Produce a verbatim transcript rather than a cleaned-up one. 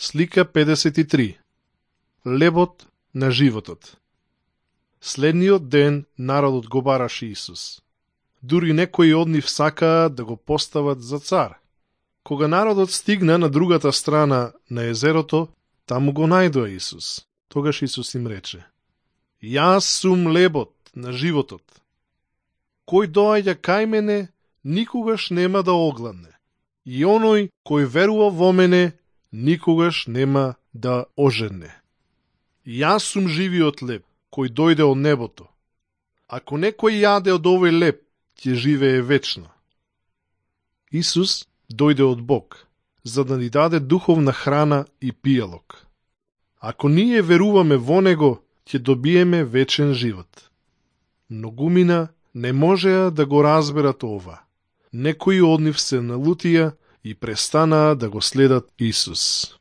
Слика педесет и три. Лебот на животот. Следниот ден народот го бараше Исус. Дури некои од нив сакаа да го постават за цар. Кога народот стигна на другата страна на езерото, таму го најдоа Исус. Тогаш Исус им рече: Јас сум лебот на животот. Кој доаѓа кај мене, никогаш нема да огладне. И оној кој верува во мене, никогаш нема да ожедне. Јас сум живиот леб, кој дојде од небото. Ако некој јаде од овој леб, ќе живее вечно. Исус дојде од Бог, за да ни даде духовна храна и пијалок. Ако ние веруваме во Него, ќе добиеме вечен живот. Многумина не можеа да го разберат ова. Некои од нив се налутија и престанаа да го следат Исус.